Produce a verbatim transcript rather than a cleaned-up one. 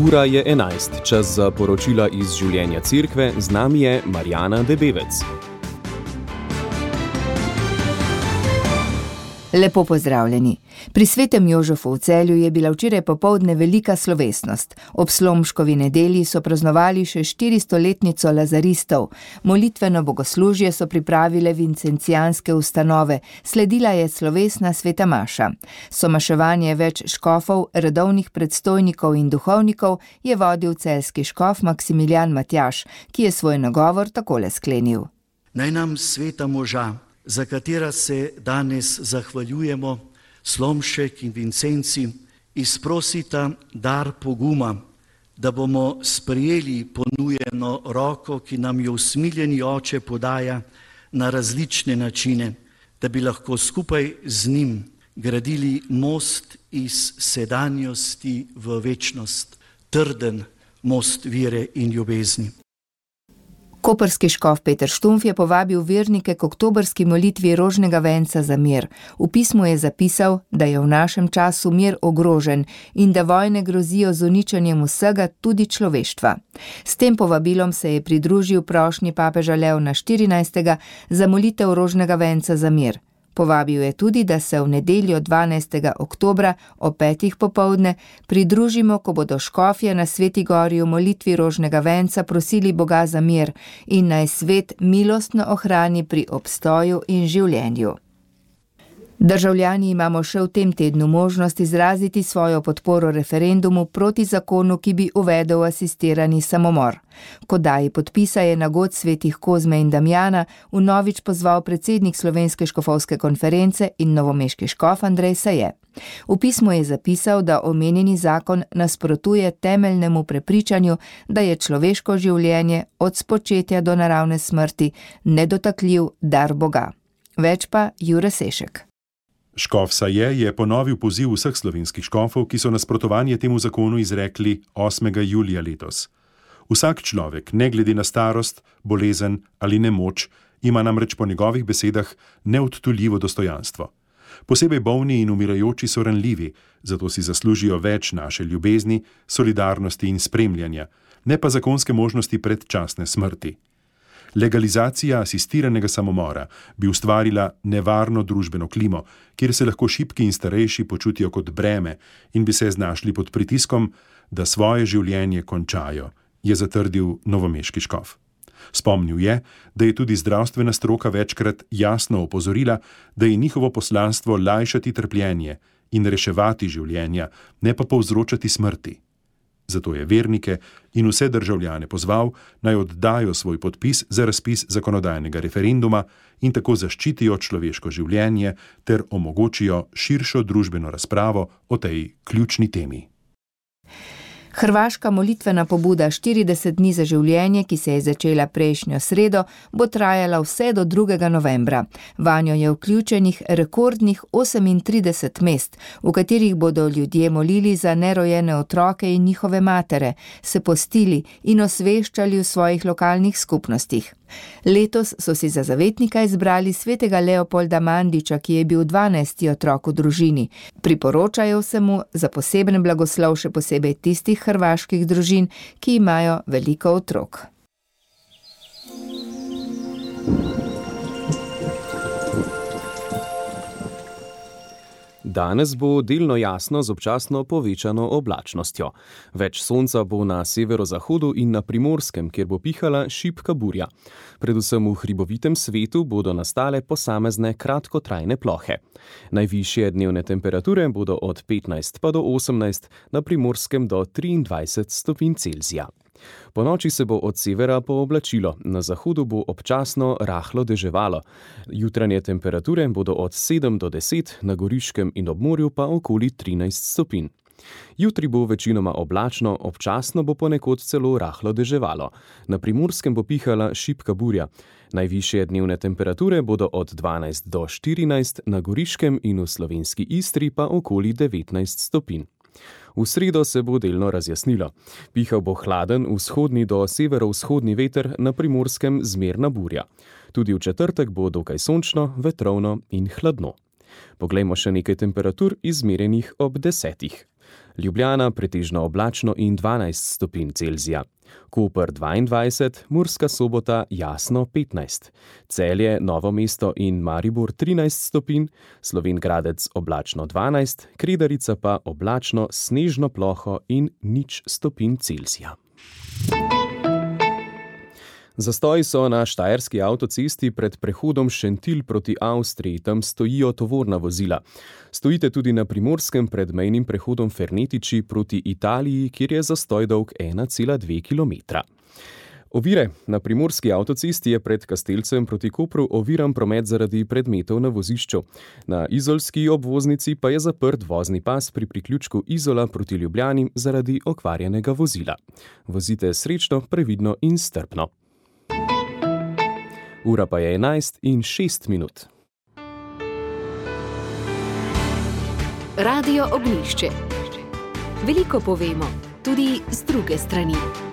Ura je enajst, čas za poročila iz življenja cerkve, z nami je Marjana Debevec. Lepo pozdravljeni. Pri svetem Jožefu v Celju je bila včeraj popoldne velika slovesnost. Ob Slomškovi nedelji so praznovali še štiristoletnico lazaristov. Molitveno bogoslužje so pripravile vincencijanske ustanove. Sledila je slovesna sveta maša. Somaševanje več škofov, redovnih predstojnikov in duhovnikov je vodil celjski škof Maksimilijan Matjaž, ki je svoj nagovor takole sklenil. Naj nam sveta moža, za katera se danes zahvaljujemo, Slomšek in Vincenci, izprosita dar poguma, da bomo sprejeli ponujeno roko, ki nam jo usmiljeni oče podaja na različne načine, da bi lahko skupaj z njim gradili most iz sedanjosti v večnost, trden most vere in ljubezni. Koprski škof Peter Štumf je povabil vernike k oktobrski molitvi rožnega venca za mir. V pismu je zapisal, da je v našem času mir ogrožen in da vojne grozijo z uničenjem vsega, tudi človeštva. S tem povabilom se je pridružil prošnji papeža Leona štirinajstega za molitev rožnega venca za mir. Povabil je tudi, da se v nedeljo dvanajstega oktobra ob petih popoldne pridružimo, ko bodo škofje na Sveti gori v molitvi rožnega venca prosili Boga za mir in naj svet milostno ohrani pri obstoju in življenju. Državljani imamo še v tem tednu možnost izraziti svojo podporo referendumu proti zakonu, ki bi uvedel asistirani samomor. Ko daji podpisa je na god svetih Kozme in Damjana vnovič pozval predsednik Slovenske škofovske konference in novomeški škof Andrej Saje. V pismu je zapisal, da omenjeni zakon nasprotuje temeljnemu prepričanju, da je človeško življenje od spočetja do naravne smrti nedotakljiv dar Boga. Več pa Jure Sešek. Škof Saje je ponovil poziv vseh slovenskih škofov, ki so nasprotovanje temu zakonu izrekli osmega julija letos. Vsak človek, ne glede na starost, bolezen ali nemoč, ima namreč po njegovih besedah neodtuljivo dostojanstvo. Posebej bolni in umirajoči so ranljivi, zato si zaslužijo več naše ljubezni, solidarnosti in spremljanja, ne pa zakonske možnosti predčasne smrti. Legalizacija asistiranega samomora bi ustvarila nevarno družbeno klimo, kjer se lahko šibki in starejši počutijo kot breme in bi se znašli pod pritiskom, da svoje življenje končajo, je zatrdil novomeški škof. Spomnil je, da je tudi zdravstvena stroka večkrat jasno opozorila, da je njihovo poslanstvo lajšati trpljenje in reševati življenja, ne pa povzročati smrti. Zato je vernike in vse državljane pozval, naj oddajo svoj podpis za razpis zakonodajnega referenduma in tako zaščitijo človeško življenje ter omogočijo širšo družbeno razpravo o tej ključni temi. Hrvaška molitvena pobuda štirideset dni za življenje, ki se je začela prejšnjo sredo, bo trajala vse do drugega novembra. Vanjo je vključenih rekordnih osemintrideset mest, v katerih bodo ljudje molili za nerojene otroke in njihove matere, se postili in osveščali v svojih lokalnih skupnostih. Letos so si za zavetnika izbrali svetega Leopolda Mandiča, ki je bil dvanajsti otrok v družini. Priporočajo se mu za poseben blagoslov še posebej tistih hrvaških družin, ki imajo veliko otrok. Danes bo delno jasno z občasno povečano oblačnostjo. Več sonca bo na severozahodu in na Primorskem, kjer bo pihala šibka burja. Predvsem v hribovitem svetu bodo nastale posamezne kratkotrajne plohe. Najvišje dnevne temperature bodo od petnajst pa do osemnajst, na Primorskem do triindvajset stopinj Celzija. Po noči se bo od severa pooblačilo, na zahodu bo občasno rahlo deževalo. Jutranje temperature bodo od sedem do deset, na Goriškem in ob morju pa okoli trinajst stopinj. Jutri bo večinoma oblačno, občasno bo ponekod celo rahlo deževalo. Na Primorskem bo pihala šibka burja. Najvišje dnevne temperature bodo od dvanajst do štirinajst, na Goriškem in v slovenski Istri pa okoli devetnajst stopinj. V sredo se bo delno razjasnilo. Pihal bo hladen vzhodni do severovzhodni veter, na Primorskem zmerna burja. Tudi v četrtek bo dokaj sončno, vetrovno in hladno. Poglejmo še nekaj temperatur izmerjenih ob desetih. Ljubljana pretežno oblačno in dvanajst stopinj Celzija. Koper dvaindvajset, Murska Sobota jasno petnajst, Celje, Novo mesto in Maribor trinajst stopinj, Slovenj Gradec oblačno dvanajst, Kredarica pa oblačno, snežno ploho in nič stopinj Celzija. Zastoji so na štajerski avtocesti pred prehodom Šentilj proti Avstriji, tam stojijo tovorna vozila. Stojite tudi na Primorskem pred mejnim prehodom Fernetiči proti Italiji, kjer je zastoj dolg ena cela dve kilometra. Ovire. Na primorski avtocesti je pred Kastelcem proti Kopru oviran promet zaradi predmetov na vozišču. Na izolski obvoznici pa je zaprt vozni pas pri priključku Izola proti Ljubljani zaradi okvarjenega vozila. Vozite srečno, previdno in strpno. Ura pa je enajst in šest minut. Radio Ognjišče. Veliko povemo, tudi z druge strani.